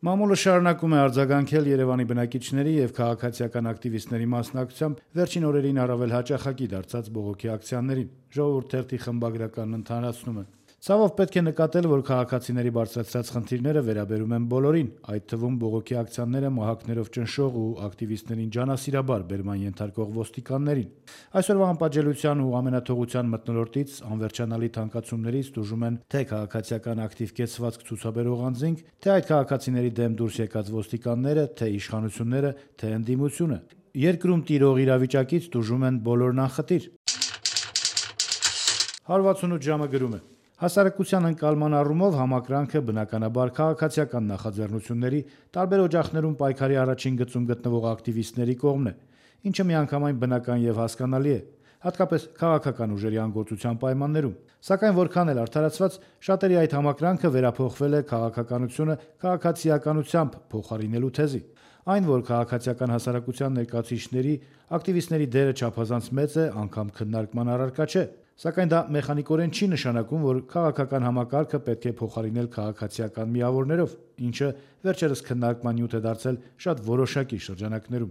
Մամուլը շարունակում է արձագանքել Երևանի բնակիչների եւ քաղաքացիական ակտիվիստների մասնակցությամբ վերջին օրերին առավել հաճախակի դարձած բողոքի ակցիաներին։ Ժողովուրդ թերթի խմբագրականն ընդհանրացնում է. Ցավով պետք է նկատել, որ քաղաքացիների բարձրացրած խնդիրները վերաբերում են բոլորին, այդ թվում բողոքի ակցիաները մահակներով ճնշող ու ակտիվիստներին ջանասիրաբար բերման ենթարկող ոստիկաններին։ Այսօրվա անպատժելիության ու ամենաթողության մթնոլորտից անվերջանալի թանկացումներից տուժում են թե քաղաքացիական ակտիվ կեցվածք ցուցաբերող անձինք, թե այդ քաղաքացիների դեմ դուրս եկած ոստիկանները, թե իշխանությունները, թե ընդդիմությունը։ Երկրում տիրող իրավիճակից տուժում են բոլորն անխտիր։ 168 ժամը գրում է. Հասարակության ընկալման առումով համակրանքը բնականաբար քաղաքացիական նախաձեռնությունների, տարբեր օջախներում պայքարի առաջին գծում գտնվող ակտիվիստների կողմն է, ինչը միանգամայն բնական եւ հասկանալի է, հատկապես քաղաքական ուժերի անգործության պայմաններում։ Սակայն որքան էլ արդարացված, շատերի այդ համակրանքը վերափոխվել է քաղաքականությունը քաղաքացիականությամբ փոխարինելու թեզի։ Այն, որ քաղաքացիական հասարակության ներկայացուցիչների, ակտիվիստների դերը չափազանց մեծ է, անգամ քննարկման առարկա չէ։ Սակայն դա մեխանիկորեն չի նշանակում, որ քաղաքական համակարգը պետք է փոխարինել քաղաքացիական միավորներով, ինչը վերջերս քննարկման նյութ է դարձել շատ որոշակի շրջանակներում։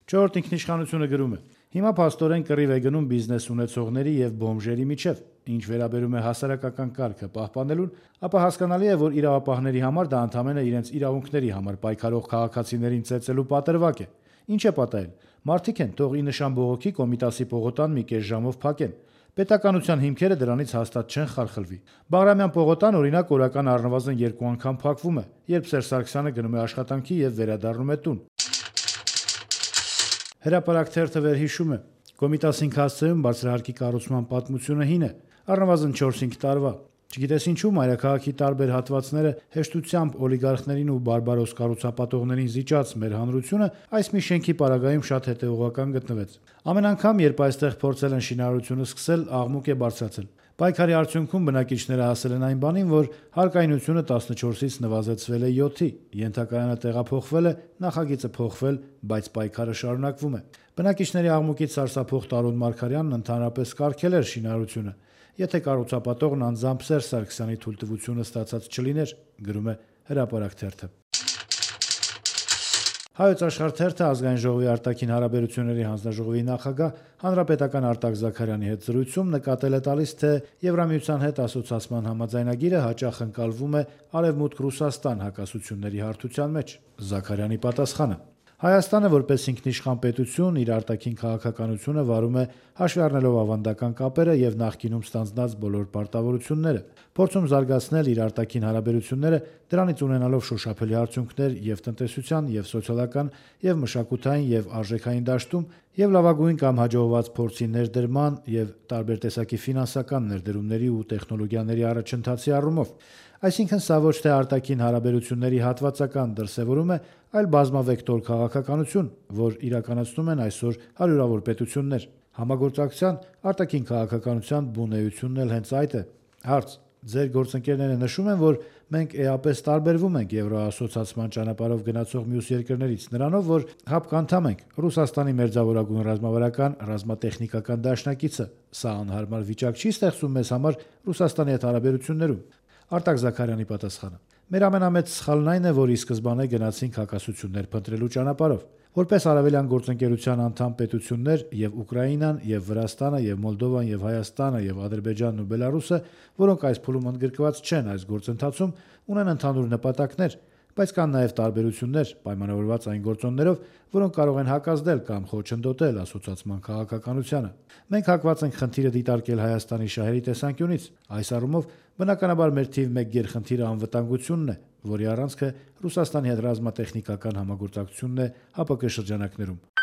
Չորրորդ ինքնիշխանությունը գրում է. Հիմա փաստորեն կռիվ է գնում բիզնես ունեցողների եւ բոմժերի միջև, ինչ վերաբերում է հասարակական կարգը պահպանելուն, ապա հասկանալի է, որ իրավապահների համար դա ընդհանրապես իրենց իրավունքների համար պայքարող քաղաքացիներին ծեծելու պատրվակ է։ Ինչ է պատահել։ Մարդիկ են, թող ի նշան բողոքի Կոմիտասի պողոտան մի կես ժամով փակեն։ Պետականության հիմքերը դրանից հաստատ չեն խարխլվի։ Բաղրամյան պողոտան, օրինակ, օրական առնվազն 2 անգամ փակվում է, երբ Սերժ Սարգսյանը գնում է աշխատանքի եւ վերադառնում է տուն։ Հրապարակ թերթը վերհիշում է. Կոմիտասին հասցեում բարձրահարկի կառուցման պատմությունը հին է, առնվազն 4-5 տարվա։ Չգիտես ինչու մայրաքաղաքի տարբեր հատվածները հեշտությամբ օլիգարխներին ու բարբարոս կառուցապատողներին զիջած մեր հանրությունը այս մի շենքի պարագայում շատ հետևողական գտնվեց։ Ամեն անգամ, երբ այստեղ փորձել են շինարարությունը սկսել, աղմուկ է բարձրացել։ Պայքարի արդյունքում բնակիչները հասել են այն բանին, որ հարկայնությունը 14-ից նվազեցվել է 7-ի, ենթակայանը տեղափոխվել է, նախագիծը փոխվել, բայց պայքարը շարունակվում է։ Բնակիչների աղմուկից սարսափող Տարոն Մարգարյանն ընդհանրապես կարգել էր շինարարությունը, եթե կառուցապատողն անձամբ Սերժ Սարգսյանի թույլտվությունը ստացած չլիներ, գրում է Հրապարակ թերթը։ Հայոց Աշխարհ թերթը Ազգային ժողովի արտաքին հարաբերությունների հանձնաժողովի նախագահ հանրապետական Արտակ Զաքարյանի հետ զրույցում նկատել է տալիս, թե Եվրամիության հետ ասոցիացման համաձայնագիրը հաճախ ընկալվում է Արևմուտք Ռուսաստան հակասությունների հարթության մեջ։ Զաքարյանի պատասխանը. Հայաստանը որպես ինքնիշխան պետություն իր արտաքին քաղաքականությունը վարում է հաշվի առնելով ավանդական կապերը եւ նախկինում ստանձնած բոլոր պարտավորությունները, փորձում զարգացնել իր արտաքին հարաբերությունները, դրանից ունենալով շոշափելի արդյունքներ եւ տնտեսության, եւ սոցիալական, եւ մշակութային, եւ արժեքային դաշտում, եւ լավագույն կամ հաջողված փորձի ներդրման եւ տարբեր տեսակի ֆինանսական ներդրումների ու տեխնոլոգիաների առաջընթացի առումով։ Այսինքն սա ոչ թե արտաքին հարաբերությունների հատվածական դրսևորում է, այլ բազմավեկտոր քաղաքականություն, որ իրականացնում են այսօր հարյուրավոր պետություններ։ Համագործակցության արտաքին քաղաքականության բունեությունն էլ հենց այդ է։ Հարց. Ձեր գործընկերները նշում են, որ մենք էապես տարբերվում ենք Եվրոասոցիացման ճանապարհով գնացող մյուս երկրներից նրանով, որ ՀԱՊԿ անդամ ենք, Ռուսաստանի մերձավորագույն ռազմավարական ռազմատեխնիկական դաշնակիցը։ Սա անհարմար վիճակ չի ստեղծում մեզ համար Ռուսաստանի հետ հարաբերություններում։ Արտակ Զաքարյանի պատասխանը. Մեր ամենամեծ սխալն այն է, որ ի սկզբանե գնացինք հակասություններ փնտրելու ճանապարհով։ Որպես արևելյան գործընկերության անդամ պետություններ եւ Ուկրաինան, եւ Վրաստանը, եւ Մոլդովան, եւ Հայաստանը, եւ Ադրբեջանն ու Բելարուսը, որոնք այս փուլում ընդգրկված չեն այս գործընթացում, ունեն ընդհանուր նպատակներ, բայց կան նաեւ տարբերություններ, պայմանավորված այն գործոններով, որոնք կարող են հակազդել կամ խոչընդոտել ասոցիացման քաղաքականությանը։ Մենք հակված ենք խնդիրը դիտարկել Հայաստանի շահերի տեսանկյունից։ Այս առումով բնականաբար մեր թիվ 1 գերխնդիրը անվտանգությունն է, որի առանցքը Ռուսաստանի հետ ռազմատեխնիկական համագործակցությունն է ՀԱՊԿ շրջանակներում։